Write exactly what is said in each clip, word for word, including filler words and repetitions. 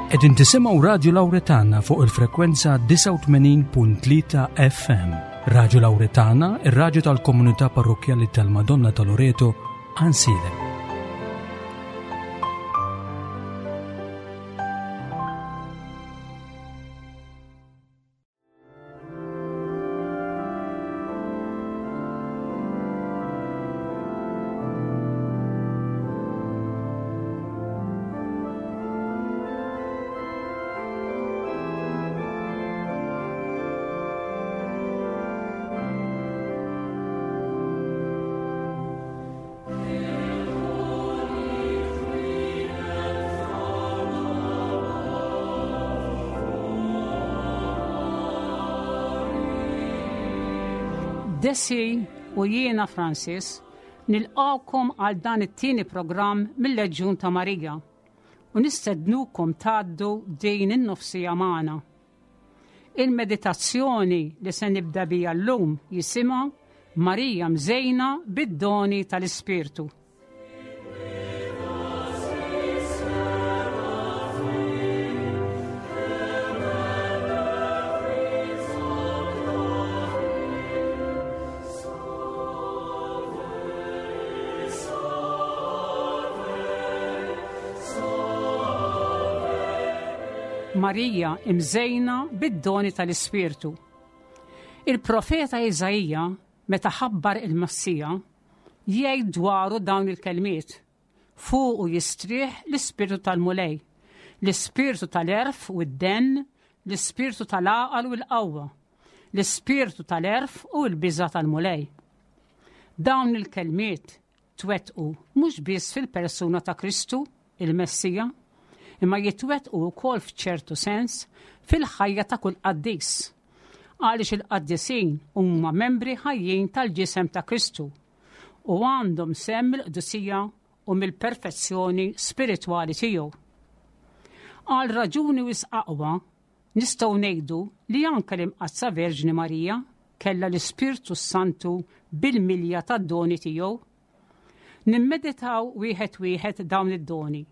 Qegħdin tisimgħu Radio Lauretana fuq il-frekwenza disgħa u tmenin punt tlieta F M. Radio Lauretana, ir-radju tal-komunità parrokkjali tal-Madonna ta' Loreto, Għajnsielem. Desi u jiena Francis nilqawkom għal dan it-tieni programm mill-Leġjun ta' Marija u nistednukom tgħaddu din in-nofsija magħna. Il-meditazzjoni li se nibda bija llum jisimha Marija mżejna bid-doni tal-Ispirtu. Marija imżejna bid-doni tal-Ispirtu. Il-profeta Iżaija, meta ħabbar il-Messija, jgħid dwaru dawn il-kelmiet: Fuqu jistrieħ l-Ispirtu tal-Mulej, l-Ispirtu tal-għerf u d-denn, l-Ispirtu tal-għaqal u l-qawwa, l-Ispirtu tal-għerf u l-biża' tal-Mulej. Dawn il-kelmiet twettqu mhux biss fil-persuna ta' Kristu, il-Messija, imma jitwettqu wkoll f'ċertu sens fil-ħajja ta' kull qaddis. Għaliex il-qaddisin huma membri ħajjin tal-ġisem ta' Kristu u għandhom sehem mill-qdusija u mill-perfezzjoni spiritwali tiegħu. Għal raġuni wisq aqwa nistgħu ngħidu li anke l-Imqaddsa Verġni Marija kellha l-Ispirtu Santu bil-milja tad-doni tiegħu. Nimmeditaw wieħed wieħed dawn id-doni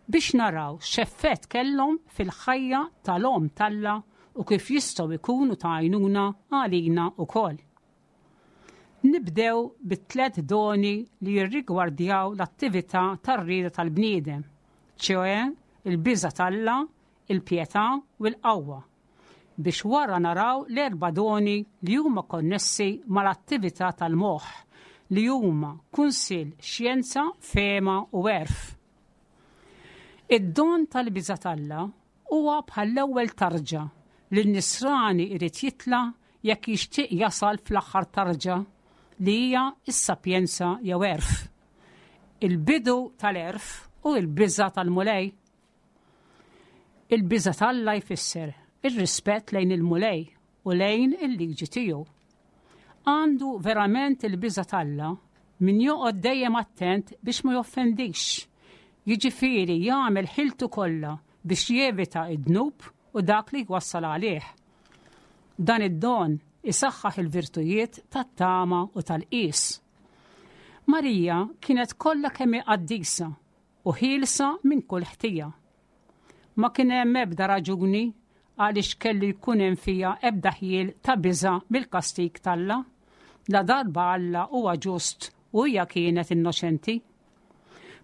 biex naraw x'effett kellhom fil-ħajja tal-Omm t'Alla u kif jistgħu jkunu ta' għajnuna għalina wkoll. Nibdew bit-tliet doni li jirrigwardjaw l-attività tar-rieda tal-bniedem, ċioè il-biża' t'Alla, il-pjetà u l-qawwa, biex wara naraw l-erba' doni li huma konnessi mal-attività tal-moħħ, li huma kunsill, xjenza, fehma u għerf. Id-don tal-biża' t'Alla huwa bħall-ewwel tarġa li n-nisrani irid jitla' jekk jixtieq jasal fl-aħħar tarġa li hija s-sapjenza jew għerf. Il-bidu tal-għerf u l-biża' tal-Mulej. Il-biża' t'Alla jfisser ir-rispett lejn il-Mulej u lejn il-liġi tiegħu. Għandu verament il-biża' t'Alla min joqgħod dejjem attent biex ma joffendix, jiġifieri jagħmel ħiltu kollha biex jevita id-dnub u dak li jwassal għalih. Dan id-don isaħħaħ il-virtujiet tat-tama u tal-qis. Marija kienet kollha kemm hi qaddisa u ħielsa minn kull ħtija. Ma kien hemm ebda raġuni għaliex kellu jkun hemm fiha ebda ħjiel ta' biża' mill-kastig t'Alla, la darba Alla huwa ġust u hija kienet innoċenti.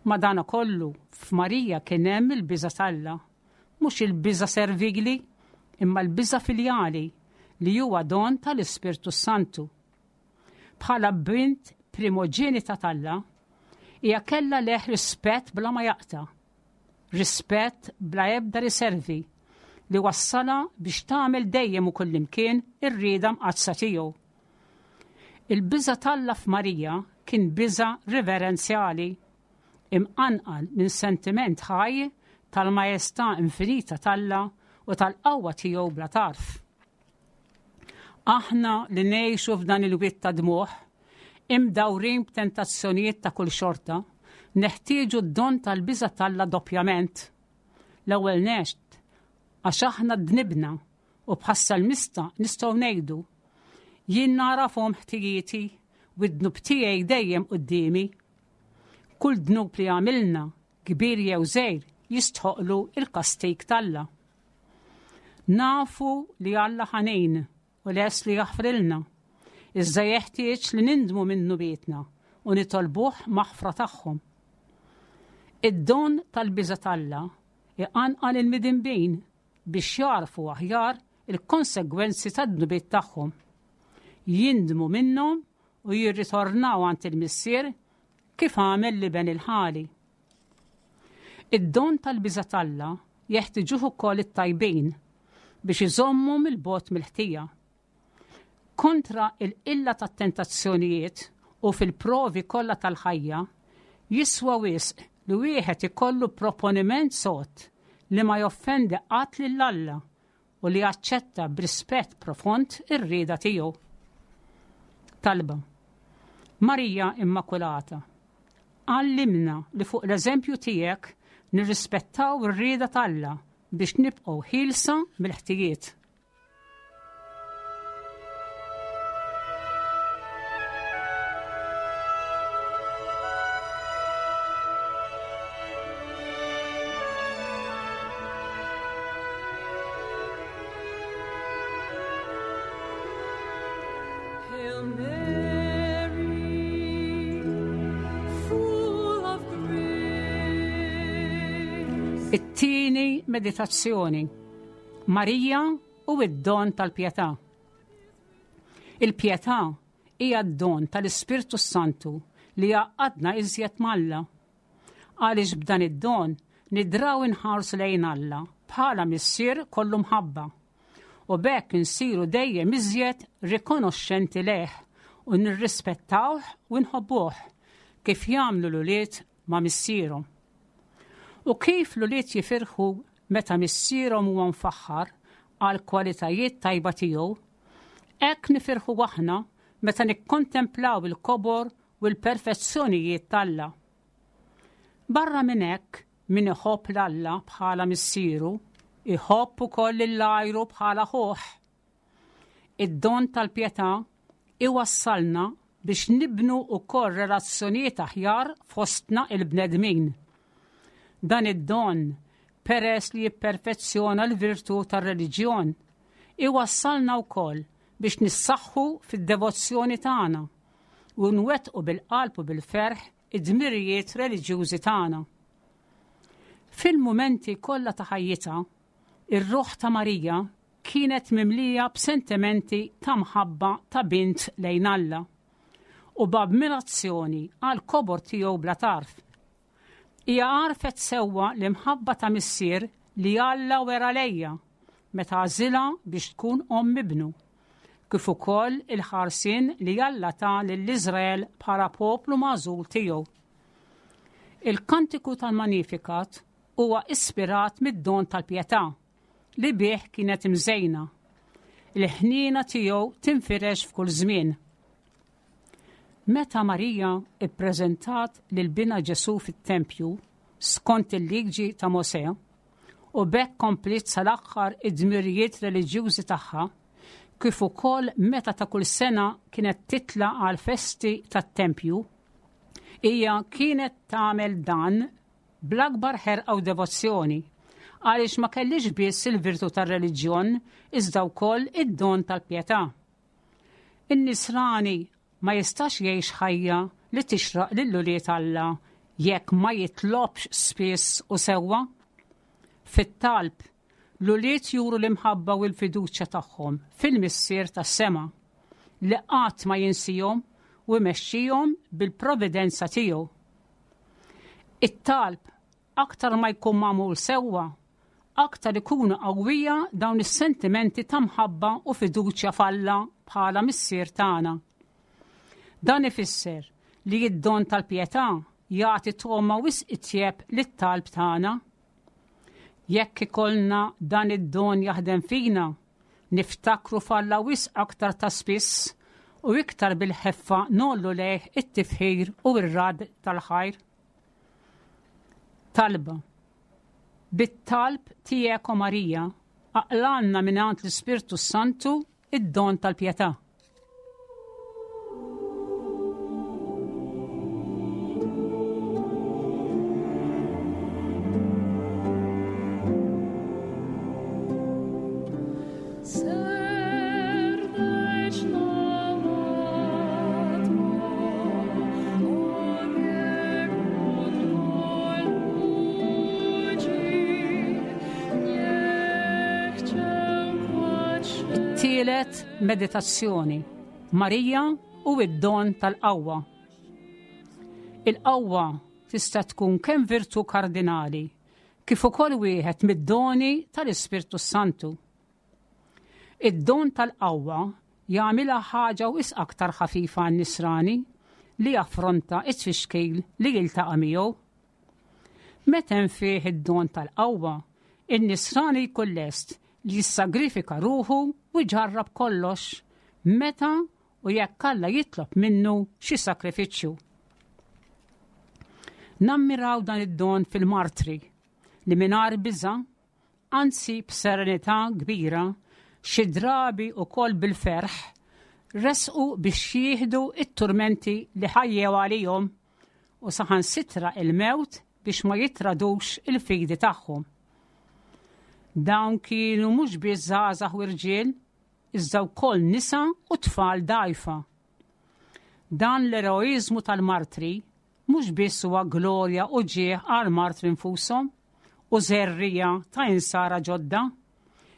Madanakollu, f'Marija kien hemm il-biża' t'Alla, mhux il-biża' servili, imma l-biża' filjali li huwa don tal-Ispirtu Santu. Bħala bint primoġenita t'Alla, hija kellha leh rispett bla ma jaqta', rispett bla ebda riservi, li wassalha biex tagħmel dejjem u kullimkien ir-rieda mqaddsa tiegħu. Il-biża' t'Alla f'Marija kien biża' reverenzjali, imqanqal minn sentiment ħaj tal-majestà infinita t'Alla u tal-qawwa tiegħu bla tarf. Aħna li ngħixu f'dan il-wied ta' dmugħ, imdawrin b'tentazzjonijiet ta' kull xorta, neħtieġu d-don tal-biża' t'Alla doppjament. L-ewwel nett, għax aħna dnibna u bħas-salmista nistgħu ngħidu, jien narafhom ħtijieti u d-dnub tiegħi dejjem quddiemi. Kull dnub li għamilna, kbir jew żgħir, jistħoqlu il-kastik t'Alla. Nafu li Alla ħanin u les li jaħfrilna, iżda jeħtieġ li nindmu minn dnubietna u nitolbuh maħfra tagħhom. Id-don tal-biża' t'Alla iqanqal il-midinbin biex jarfu aħjar il-konsegwenzi tad-dnubiet tagħhom. Jindmu minnhom u jirritornaw għand il-Missier kif għamel l-iben il-ħali. Id-don tal-biża' t'Alla jeħtiġuh ukoll it-tajbin biex iżommu mill-bogħod mill-ħtija. Kontra il-qilla tat-tentazzjonijiet u fil-provi kollha tal-ħajja, jiswa wisq li wieħed ikollu proponiment sod li ma joffendi qatt lil Alla u li jaċċetta b'rispett profond ir-rieda tiegħu. Talba. Marija Immakulata, għallimna li fuq l-eżempju tiegħek nirrispettaw ir-rieda t'Alla biex nibqgħu ħielsa mill-ħtijiet. Hail Mary, full of grace. It-tieni meditazzjoni. Marija u id-don tal-pjetà. Il-pjetà hija d-don tal-Ispirtu Santu li jgħaqqadna iżjed m'Alla. Għaliex b'dan id-don nidraw inħarsu lejn Alla bħala missier kollu mħabba. U b'hekk insiru dejjem iżjed rikonoxxenti lejh u nirrispettawh u nħobbuh kif jagħmlu l-ulied ma' missierhom. U kif l-ulied jifirħu meta missierhom huwa mfaħħar għal kwalitajiet tajba tiegħu, hekk nifirħu aħna meta nikkontemplaw il-kobor u l-perfezzjonijiet t'Alla. Barra minn hekk, min iħobb 'l Alla bħala missieru, iħobb ukoll lil għajru bħala ħuh. Id-don tal-pjetà iwassalna biex nibnu wkoll relazzjonijiet aħjar fostna il-bnedmin. Dan id-don, peress li jipperfezzjona l-virtù tar-reliġjon, iwassalna wkoll biex nissaħħu fid-devozzjoni tagħna u nwettqu bil-qalb u bil-ferħ id-dmirijiet reliġjużi tagħna. Fil-mumenti kollha ta' ħajjitha, ir-ruħ ta' Marija kienet mimlija b'sentimenti ta' mħabba ta' bint lejn Alla u b'ammirazzjoni għal kobor tiegħu bla tarf. Hija għarfet sewwa l-imħabba ta' missier li Alla wera lejha meta għażilha biex tkun omm ibnu, kif ukoll il-ħarsien li Alla ta lil Iżrael bħala poplu magħżul tiegħu. Il-kantiku tal-Magnificat huwa ispirat mid-don tal-pjetà li bih kienet imżejna. Il-ħniena tiegħu tinfirex f'kull żmien. Meta Marija ippreżentat lil binha Ġesù fit-tempju skont il-liġi ta' Mosè u b'hekk kompliet sal-aħħar id-dmirijiet reliġjużi tagħha, kif ukoll meta ta' kull sena kienet titla' għal festi tat-tempju, hija kienet tagħmel dan bl-akbar ħerqa u devozzjoni, għaliex ma kellix biss il-virtù tar-reliġjon iżda wkoll id-don tal-pjetà. In-nisrani ma jistax jgħix ħajja li tixraq lil ulied Alla jekk ma jitlobx spiss u sewwa. Fit-talb, l-ulied juru l-imħabba u l-fiduċja tagħhom fil-Missier tas-sema li qatt ma jinsihom u jmexxihom bil-providenza tiegħu. It-talb aktar ma jkun magħmul sewwa, aktar ikunu qawwija dawn is-sentimenti ta' mħabba u fiduċja f'Alla bħala Missier tagħna. Dan ifisser li d-don tal-pjetà jagħti togħma wisq itjeb lit-talb tagħna. Jekk ikollna dan id-don jaħdem fina, niftakru f'Alla wisq aktar ta' spiss u iktar bil-ħeffa nollu lejh it-tifħir u r-rad tal-ħajr. Talba. Bit-talb tiegħek, o Marija, aqlanna mingħand l-Ispirtu Santu id-don tal-pjetà. Tielet meditazzjoni. Marija u id-don tal-qawwa. Il-qawwa tista' tkun kemm virtu kardinali kif ukoll wieħed mid-doni tal-Ispirtu Santu. Id-don tal-qawwa jagħmilha ħaġa wisq aktar ħafifa għan-nisrani li jaffronta it-tfixkil li jiltaqa' miegħu. Meta hemm fih id-don tal-qawwa, in-nisrani jkun lest li jissagrifika ruħu u jġarrab kollox meta u jekk Alla jitlob minnu xi sakrifiċċju. Nammiraw dan id-don fil-martri li mingħajr biża, anzi b'serenità kbira, xi drabi wkoll bil-ferħ, resqu biex jieħdu it-turmenti li ħajjew għalihom u saħansitra il-mewt biex ma jitradux il-fidi tagħhom. Dawn kienu mhux biss żgħażagħ u rġiel, iżda wkoll nisa u tfal dgħajfa. Dan l-eroiżmu tal-martri mhux biss huwa glorja u ġieħ għal martri nfushom u żerriegħa ta' insara ġodda,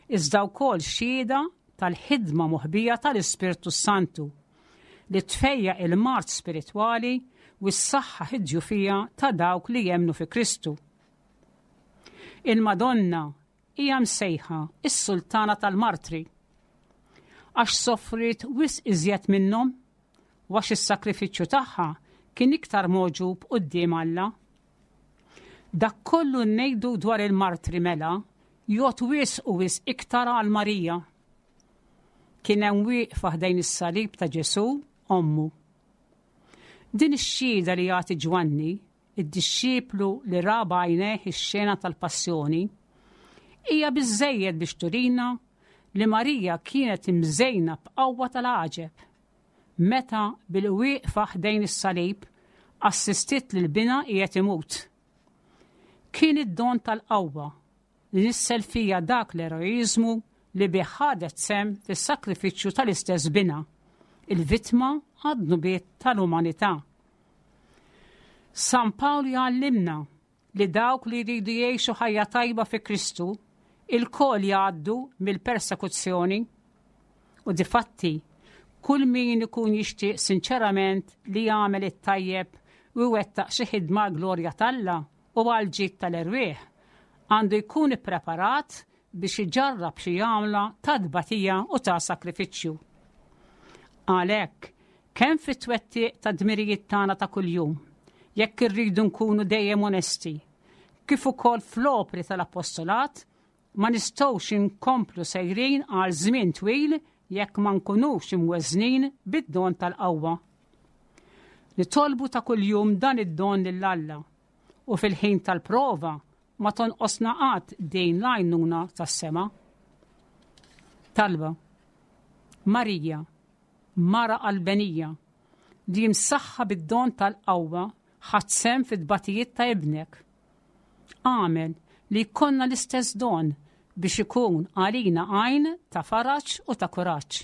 iżda wkoll xhieda tal-ħidma moħbija tal-Ispirtu Santu li tfejjaq il-mard spiritwali u s-saħħa id-djufija ta' dawk li jemnu fi Kristu. Il-Madonna hija msejħa is-sultana tal-martri għax soffrit wisq iżjed minnhom u għax is-sakrifiċċju tagħha kien iktar mogħġub quddiem Alla. Dak kollu ngħidu dwar il-martri mela jgħodd wisq u wisq iktar għal Marija. Kien hemm wieqfa ħdejn is-salib ta' Ġesù ommu. Din ix-xhieda li jagħti Ġwanni, id-dixxiplu li ra b'għajnejh ix-xena tal-passjoni, hija biżejjed biex turina li Marija kienet imżejna b'qawwa tal-għaġeb. Meta bil-wieqfa ħdejn is-salib assistiet lil binha qiegħed imut. Kien id-don tal-qawwa li nissel fija dak l-eroiżmu li bih ħadet sehem fis-sakrifiċċju tal-istess binha, il-vittma għad-dnubiet tal-umanità. San Pawl jgħallimna li dawk li jridu jgħixu ħajja tajba fi Kristu ilkoll jgħaddu mill-persekuzzjoni u difatti kull min ikun jixtieq sinċerament li jagħmel it-tajjeb u jwettaq xi ħidma glorja t'Alla u għal ġid tal-erwieħ għandu jkun ippreparat biex iġarrab xi għamla ta' tbatija u ta' sakrifiċċju. Għalhekk, kemm fit-twettiq ta' dmirijiet tagħna ta' kuljum, jekk irridu nkunu dejjem onesti, kif ukoll fl-opri tal-apostolat, ma nistgħux inkomplu sejrin għal żmien twil jekk ma nkunux imweżnin bid-don tal-qawwa. Nitolbu ta' kuljum dan id-don lil Alla u fil-ħin tal-prova ma tonqosna qatt din l-għajnuna tas-sema. Talba. Marija, mara qalbenija, li msaħħa bid-don tal-qawwa ħadt sehem fit-tbatijiet ta' ibnek. Agħmel li jkollna l-istess don biex ikun għalina għajn ta' faraġ u ta' kuraġġ.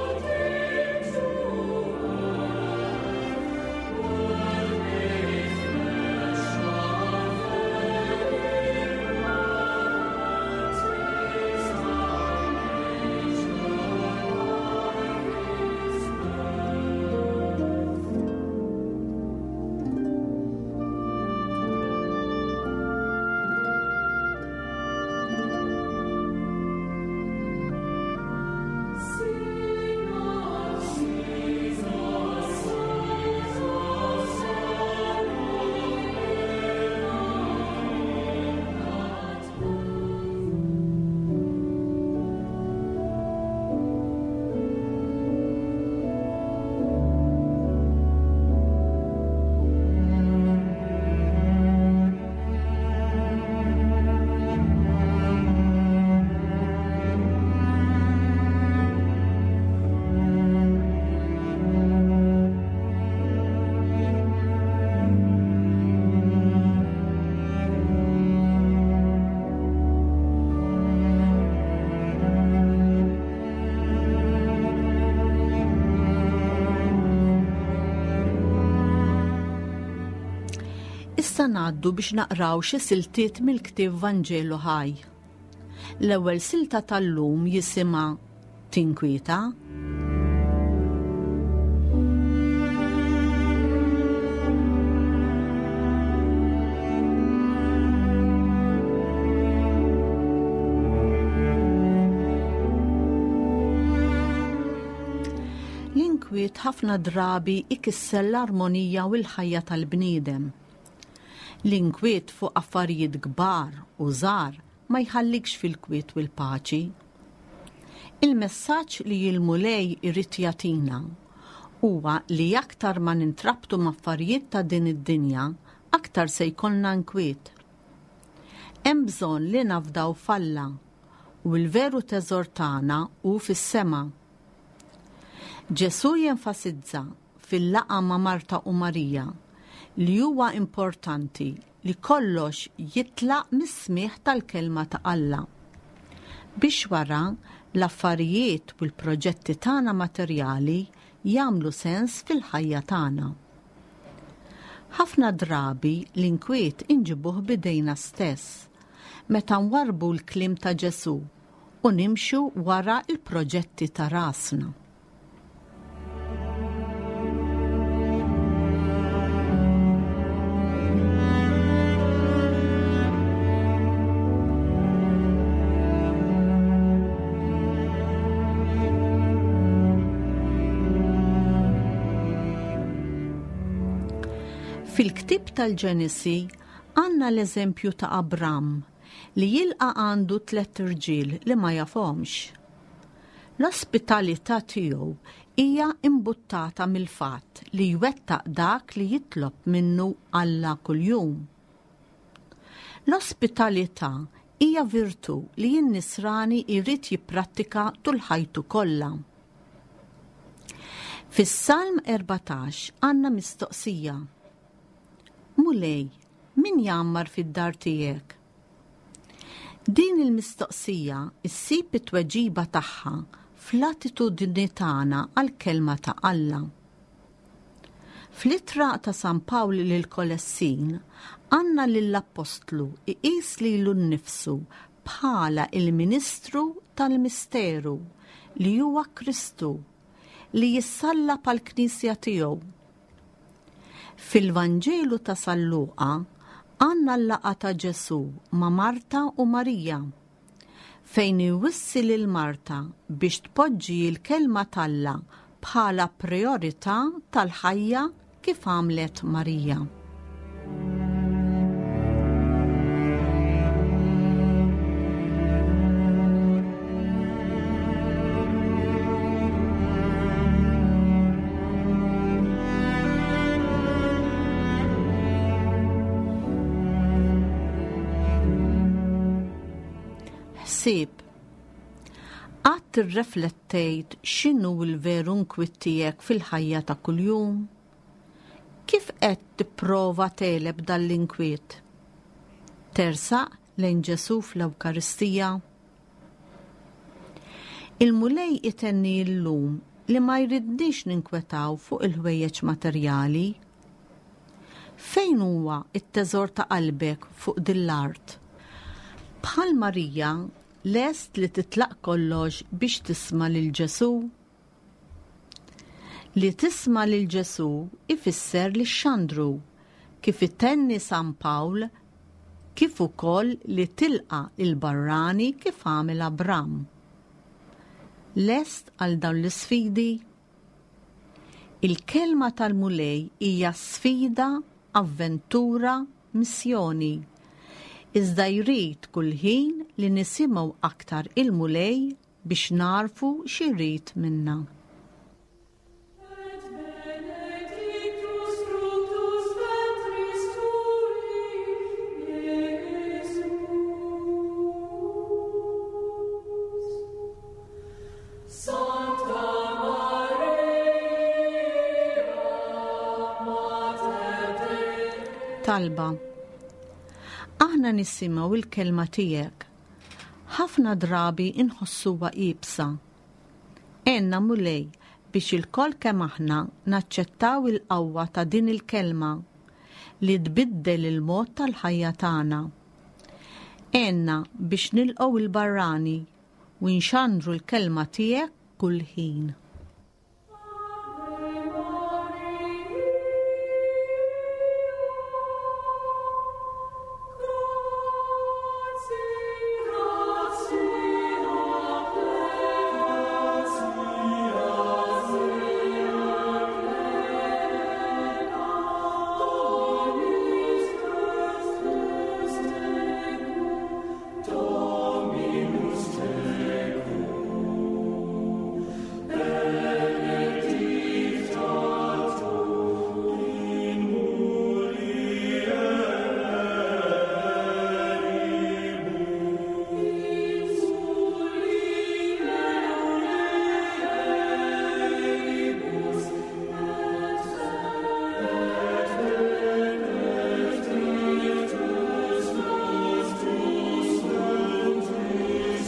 God Issa ngħaddu biex naqraw xi siltiet mill-ktieb Vanġelu Ħaj. L-ewwel silta tal-lum jisimha Tinkwieta. L-inkwiet ħafna drabi ikisser l-armonija u l-ħajja tal-bniedem. L-inkwiet fuq affarijiet kbar u żgħar ma jħallikx fil-kwiet u l-paċi. Il-messaġġ li l-Mulej irid jagħtina huwa li aktar ma nintrabtu m'affarijiet ta' din id-dinja, aktar se jkollna nkwiet. Hemm bżonn li nafdaw f'Alla u l-veru teżor tagħna hu fis-sema. Ġesù jenfasizza fil-laqgħa ma' Marta u Marija li huwa importanti li kollox jitlaq mis-smigħ tal-kelma ta' Alla. Biex wara l-affarijiet u l-proġetti tagħna materjali jagħmlu sens fil-ħajja tagħna. Ħafna drabi l-inkwiet inġibuh bidejna stess meta nwarbu l-kliem ta' Ġesù u nimxu wara l-proġetti ta' rasna. Fil-ktieb tal-Ġenesi għandna l-eżempju ta' Abram li jilqa' għandu tliet irġiel li ma jafhomx. L-ospitalità tiegħu hija imbuttata mill-fatt li jwettaq dak li jitlob minnu Alla kuljum. L-ospitalità hija virtù li n-nisrani jrid jipprattika tul ħajtu kollha. Fis-Salm erbatax għandna mistoqsija. Mulej, min jgħammar fid-dar tiegħek? Din il-mistoqsija issib it-tweġiba tagħha fl-attitudni tagħna għall-kelma ta' Alla. Fl-ittra ta' San Pawl lil Kolessin għandna lill-Appostlu iqis lilu nnifsu bħala il-Ministru tal-Misteru li huwa Kristu li jissallab għall-Knisja tiegħu. Fil-Vanġelu ta' San Luqa għandna l-laqgħa ta' Ġesù ma' Marta u Marija, fejn iwissi lil Marta biex tpoġġi l-kelma t'Alla bħala priorità tal-ħajja kif għamlet Marija. Ħsieb. Qatt irreflettejt x'inhu l-veru nkwiet tiegħek fil-ħajja ta' kuljum? Kif qed tipprova tegħleb dan l-inkwiet? Tersaq lejn Ġesù fl-Ewkaristija? Il-Mulej itenni llum li ma jridniex ninkwetaw fuq il-ħwejjeġ materjali. Fejn huwa t-teżor ta' qalbek fuq din l-art? Bħal Marija, lest li titlaq kollox biex tisma' lil Ġesù? Li tisma' lil Ġesù ifisser li xxandru, kif itenni San Pawl, kif ukoll li tilqa' il-barrani kif għamel Abram. Lest għal dawn l-isfidi? Il-kelma tal-Mulej hija sfida, avventura, missjoni. Iżda jrid kull ħin li nisimgħu aktar il-Mulej biex narfu x'irid minna. Et benedictus fructus ventris tui, Iesus. Sancta Maria, Mater Dei. Talba. Aħna nisimgħu il-kelma tiegħek. Ħafna drabi inħossuha iebsa. Għenna Mulej biex ilkoll kemm aħna naċċettaw il-qawwa ta' din il-kelma li tbiddel il-mod tal-ħajja tagħna. Għinna biex nilqgħu il-barrani u nxandru l-kelma tiegħek kull ħin.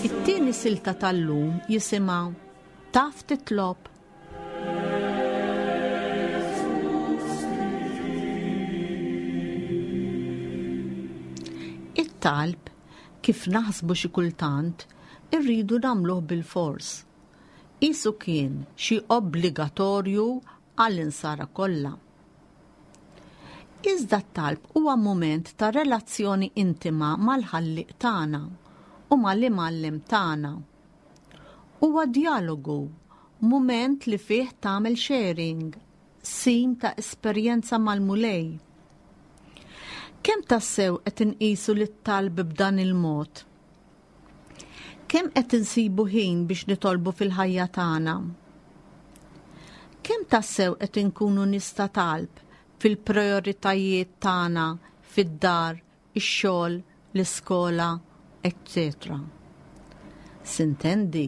It-tieni silta tal-lum jisimha Taf titlob. It-talb, kif naħsbu xi kultant, irridu nagħmluh bil-fors. Isu kien xi obbligatorju għall-insara kollha. Iżda t-talb huwa mument ta' relazzjoni intima mal-ħallieq tagħna u mal-imgħallem tagħna. Huwa djalogu, mument li fih tagħmel sharing, sim ta' esperjenza mal-Mulej. Kemm tassew qed inqisu lit-talb b'dan il-mod? Kemm qed insibu ħin biex nitolbu fil-ħajja tagħna? Kemm tassew qed inkunu nies ta' talb fil-prioritajiet tagħna fid-dar, ix-xogħol, l-iskola, eċċetera. Sintendi,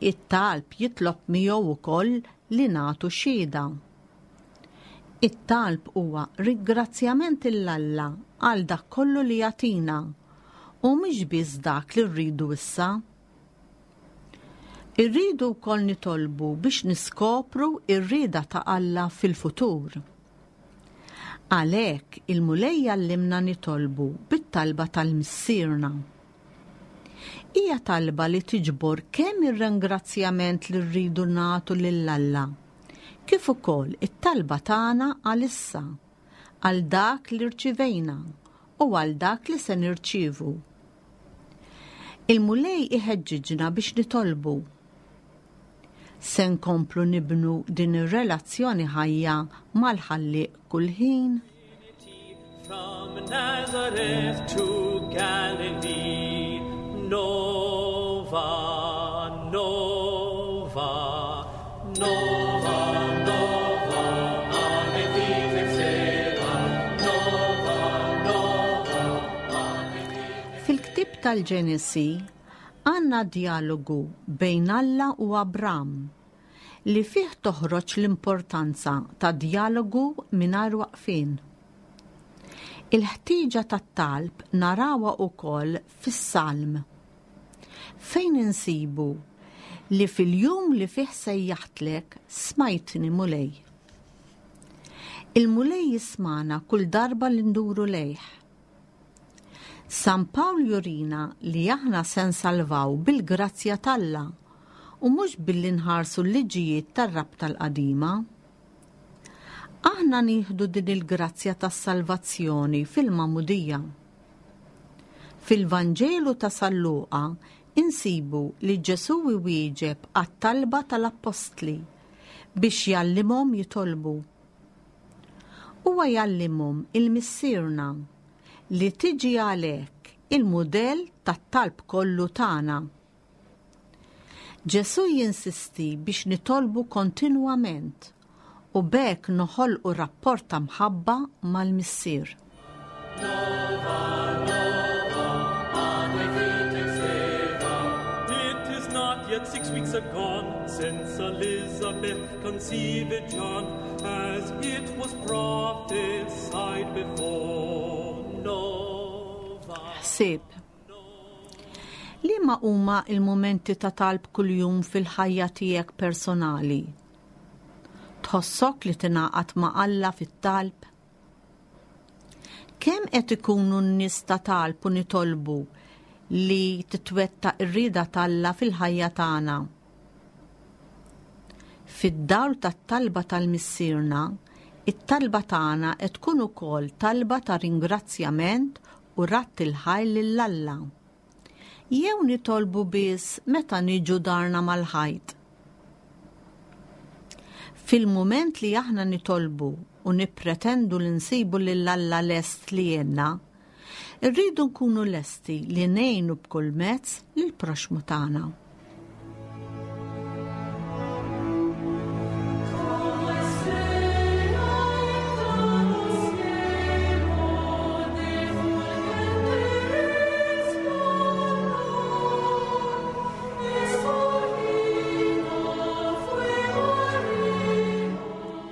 it-talb jitlob miegħu wkoll li nagħtu xhieda. It-talb huwa ringrazzjament lil Alla għal dak kollu li jagħtina u mhux biss dak li rridu issa. Irridu wkoll nitolbu biex niskopru r-rieda ta' Alla fil-futur. Għalhekk il-Mulej jgħallimna nitolbu bit-talba tal-Missierna. Hija talba li tiġbor kemm ir-ringrazzjament li rridu nagħtu lil Alla, kif ukoll it-talba tagħna għalissa, għal dak li rċivejna u għal dak li se nirċievu. Il-Mulej iħeġġiġna biex nitolbu. Se nkomplu nibnu din ir-relazzjoni ħajja mal-ħallieq kull ħin. From Nazareth to Galilee, Nova, Nova, Nova, Nova, Ave Vitae Sera, Nova, Nova, Ave Vitae. Fil-ktieb tal-Ġenesi għandna djalogu bejn Alla u Abram li fih toħroġ l-importanza ta' djalogu mingħajr waqfien. Il-ħtieġa tat-talb narawha wkoll fis-Salm, fejn insibu li fil-jum li fih sejjaħtlek smajtni Mulej. Il-Mulej jismana kull darba li nduru lejh. San Pawl jurina li aħna se nsalvaw bil-grazzja t'Alla u mhux billi nħarsu l-liġijiet tar-rabta l-qadima. Aħna nieħdu din il-grazzja tas-salvazzjoni fil-Magħmudija. Fil-Vanġelu ta' San Luqa insibu li Ġesù iwieġeb għat-talba tal-Appostli biex jgħallimhom jitolbu. Huwa jgħallimhom il-Missierna li tiġi għalhekk il-mudell tat-talb kollu tagħna. Ġesù jinsisti biex nitolbu kontinwament u b'hekk noħolqu rapport ta' mħabba mal-Missier. Nova, Nova, Ave Vitae Sera. It is not yet six weeks agone since Elizabeth conceived John, as it was prophesied before. Nova. Ħsieb. Liema huma il-mumenti ta' talb kuljum fil-ħajja tiegħek personali? Tħossok li tingħaqad ma' Alla fit-talb? Kemm qed ikunu n-nies ta' talb u nitolbu li titwettaq ir-rieda t'Alla fil-ħajja tagħna? Fid-dawl tat-talba tal-Missierna, it-talba tagħna qed tkun ukoll talba ta' ringrazzjament u radd il-ħajr lil Alla. Jew nitolbu biss meta niġu darna mal-ħajt. Fil-mument li aħna nitolbu u nippretendu li nsibu lil Alla lest li jgħinna, irridu nkunu lesti li ngħinu b'kull mezz lill-proxxmu tagħna.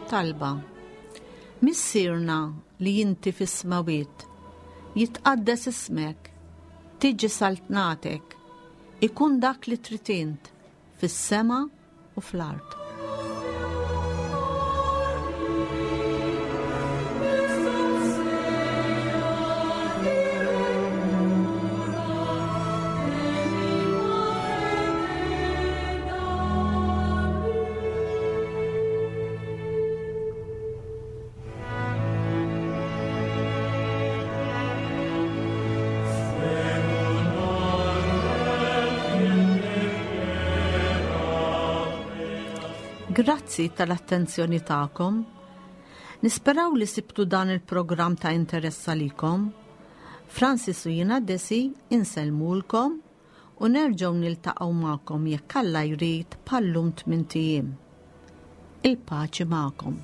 Talba. Missierna li inti fis-smawiet, jitqaddes ismek, tiġi saltnatek, ikun dak li trid int fis-sema u fl-art. Grazzi tal-attenzjoni tagħkom. Nisperaw li sibtu dan il-programm ta' interess għalikom. Francis u jiena Desi insellmulkom u nerġgħu niltaqgħu magħkom jekk Alla jrid bħallum tmint ijiem. Il-paċi magħkom.